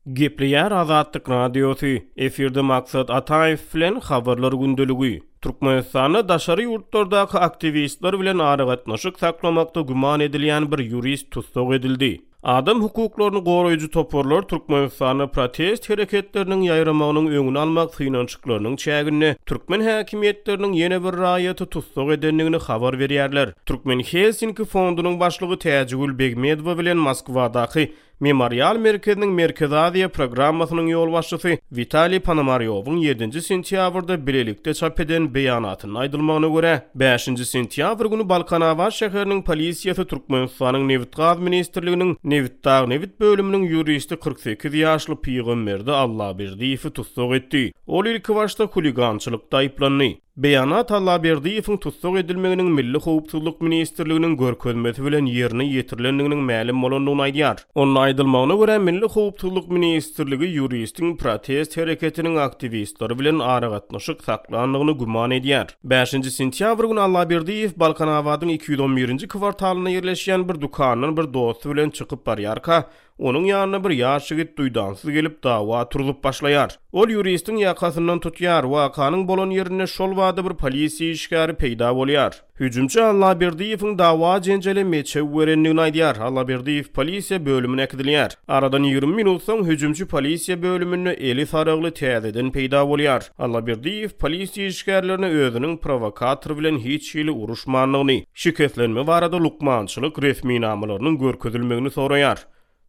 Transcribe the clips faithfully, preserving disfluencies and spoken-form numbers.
Gepleýär Azatlyk Radiosy, efirde Maksat Ataýew bilen Habarlar gündeligi. Türkmenistanda daşary ýurtlardaky aktiwistler bilen aragatnaşyk saklamakda güman edilýän bir ýurist tussag edildi. Adam hukuklaryny goraýjy toparlar Türkmenistanda protest hereketleriniň ýaýramagynyň öňüni almak synanyşyklarynyň çäginde türkmen häkimiýetleriniň ýene bir raýaty tussag edendigini habar berýärler. Türkmen Helsinki fondunyň başlygy Täjigül Begmedowa bilen Moskwadaky Memorial merkeziniň Merkezi Aziýa programmasynyň ýolbaşçysy Witaliý Ponomarýowyň ýedinji sentýabrda bilelikde çap eden beýanatynda aýdylmagyna görä, bäşinji sentýabr güni Balkanabat şäheriniň polisiýasy Türkmenistanyň Nebitgaz ministrliginiň Nebitdagnebit bölüminiň ýuristi kyrk sekiz ýaşly Pygamberdi Allaberdiýewi tussag etdi. Ol ilkibaşda huligançylykda aýyplandy. Beýanat Allaberdiýewiň tussag edilmeginiň Milli howpsuzlyk ministrliginiň görkezmesi bilen ýerine ýetirilendiginiň mälim bolandygyny aýdýar. Onda aýdylmagyna görä, Milli howpsuzlyk ministrligi ýuristiň protest hereketiniň aktiwistleri bilen aragatnaşyk saklandygyny güman edýär. Bäşinji sentýabr güni Allaberdiýew Balkanabadyň iki ýüz on birinji kwartalynda ýerleşýän bir dükandan bir dosty bilen çykyp barýarka, onuň ýanyna bir ýaş ýigit duýdansyz gelip dawa turzup başlaýar. Ol ýuristiň ýakasyndan tutýar, wakanyň bolan ýerinde şol bada bir polisiýa işgäri peýda bolýar. Hüjümçi Allaberdiýewiň dawa jenjele meçew berendigini aýdýar. Allaberdiýew polisiýa bölümine äkidilýär. Aradan ýigrimi minut soň hüjümçi polisiýa bölüminde eli saragly täzeden peýda bolýar. Allaberdiýew polisiýa işgärlerine özüniň prowokator bilen hiç hili uruşmandygyny, şikeslenme barada lukmançylyk resminamalarynyň görkezilmegini soraýar.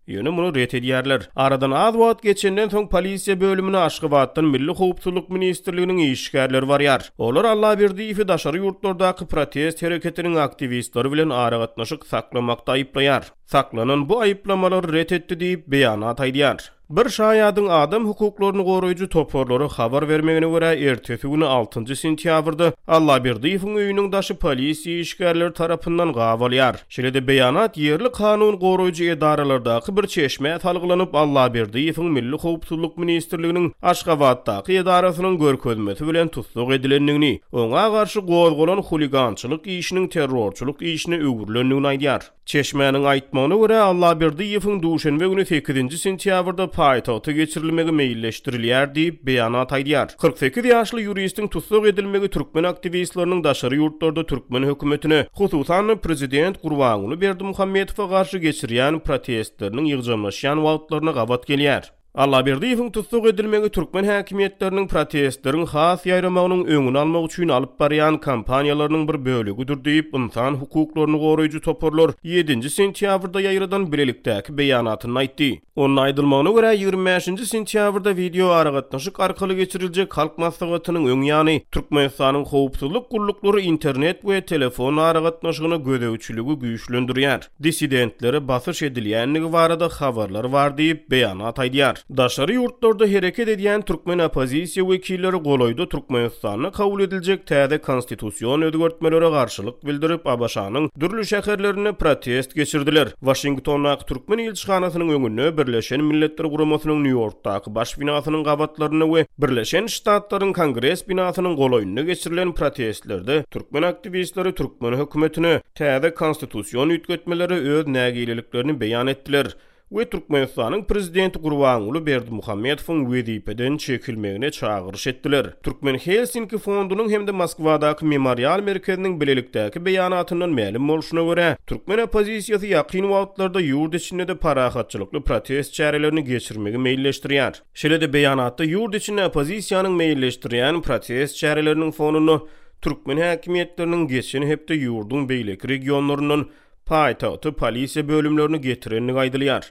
Ýöne muny ret edýärler. Aradan az wagt geçenden soň polisiýa bölümine Aşgabatdan Milli howpsuzlyk ministrliginiň işgärleri barýar. Olar Allaberdiýewi daşary ýurtlardaky protest hereketiniň aktiwistleri bilen aragatnaşyk saklamakda aýyplaýar. Saklanan bu aýyplamalary ret etdi diýip beýanat aýdýar. Bir şaýadyň adam hukuklaryny goraýjy toparlara habar bermegine görä ertesi güni altynjy sentýabrda Allaberdiýewiň öýüniň daşy polisiýa işgärleri tarapyndan gabalýar. Şeýle-de beýanat ýerli kanun goraýjy edaralardaky bir çeşmä salgylanyp Allaberdiýewiň Milli howpsuzlyk ministrliginiň Aşgabatdaky edarasynyň görkezmesi bilen tussag edilendigini, oňa garşy gozgalan huligançylyk işiniň terrorçylyk işine öwrülendigini aýdýar. Çeşmäniň aýtmagyna görä Allaberdiýewiň duşenbe güni sekizinji sentýabrda paýtagta geçirilmegi meýilleşdirilýär diýip beýanat aýdýar. Kyrk sekiz ýaşly ýuristiň tussag edilmegi türkmen aktiwistleriniň daşary ýurtlarda türkmen hökümetine, hususan-da prezident Gurbanguly Berdimuhamedowa garşy geçirýän protestleriniň ýygjamlaşýan wagtlaryna gabat gelýär. Allaberdiýewiň tussag edilmegi türkmen häkimiýetleriniň protestleriň has ýaýramagynyň öňüni almak üçin alyp barýan kampaniýalarynyň bir bölegidir diýip, ynsan hukuklaryny goraýjy toparlar ýedinji sentýabrda ýaýradan bilelikdäki beýanatynda aýtdy. Onda aýdylmagyna görä ýigrimi bäşinji sentýabrda wideo aragatnaşyk arkaly geçiriljek halk maslahatynyň öň ýany Türkmenistanyň howpsuzlyk gulluklary internet we telefon aragatnaşygyna gözegçiligi güýçlendirýär. Dissidentlere basyş edilýändigi barada habarlar bar diýip beýanat aýdýar. Daşary ýurtlarda hereket edýän türkmen oppozisiýa wekilleri golaýda Türkmenistanda kabul ediljek täze konstitusion özgertmelere garşylyk bildirip, A B Ş-nyň dürli şäherlerinde protest geçirdiler. Waşingtondaky türkmen ilçihanasynyň öňünde, Birleşen Milletler Guramasynyň Nýu-Ýorkdaky baş binasynyň gabatlarynda we Birleşen Ştatlaryň Kongres binasynyň golaýynda geçirilen protestlerde türkmen aktiwistleri türkmen hökümetine täze konstitusion üýtgetmelere öz nägileliklerini beýan etdiler we Türkmenistanyň prezidenti Gurbanguly Berdimuhamedowyň wezipeden çekilmegine çagyryş etdiler. Türkmen Helsinki fondunyň hem-de Moskwadaky Memorial merkeziniň bilelikdäki beýanatyndan mälim bolşuna görä, türkmen oppozisiýasy ýakyn wagtlarda ýurt içinde-de parahatçylykly protest çärelerini geçirmegi meýilleşdirýär. Şeýle-de beýanatda ýurt içinde oppozisiýanyň meýilleşdirýän protest çäreleriniň fonunda türkmen häkimiýetleriniň geçen hepde ýurduň beýleki regionlaryndan paýtagty polisiýa bölümlerini getirendigi aýdylýar.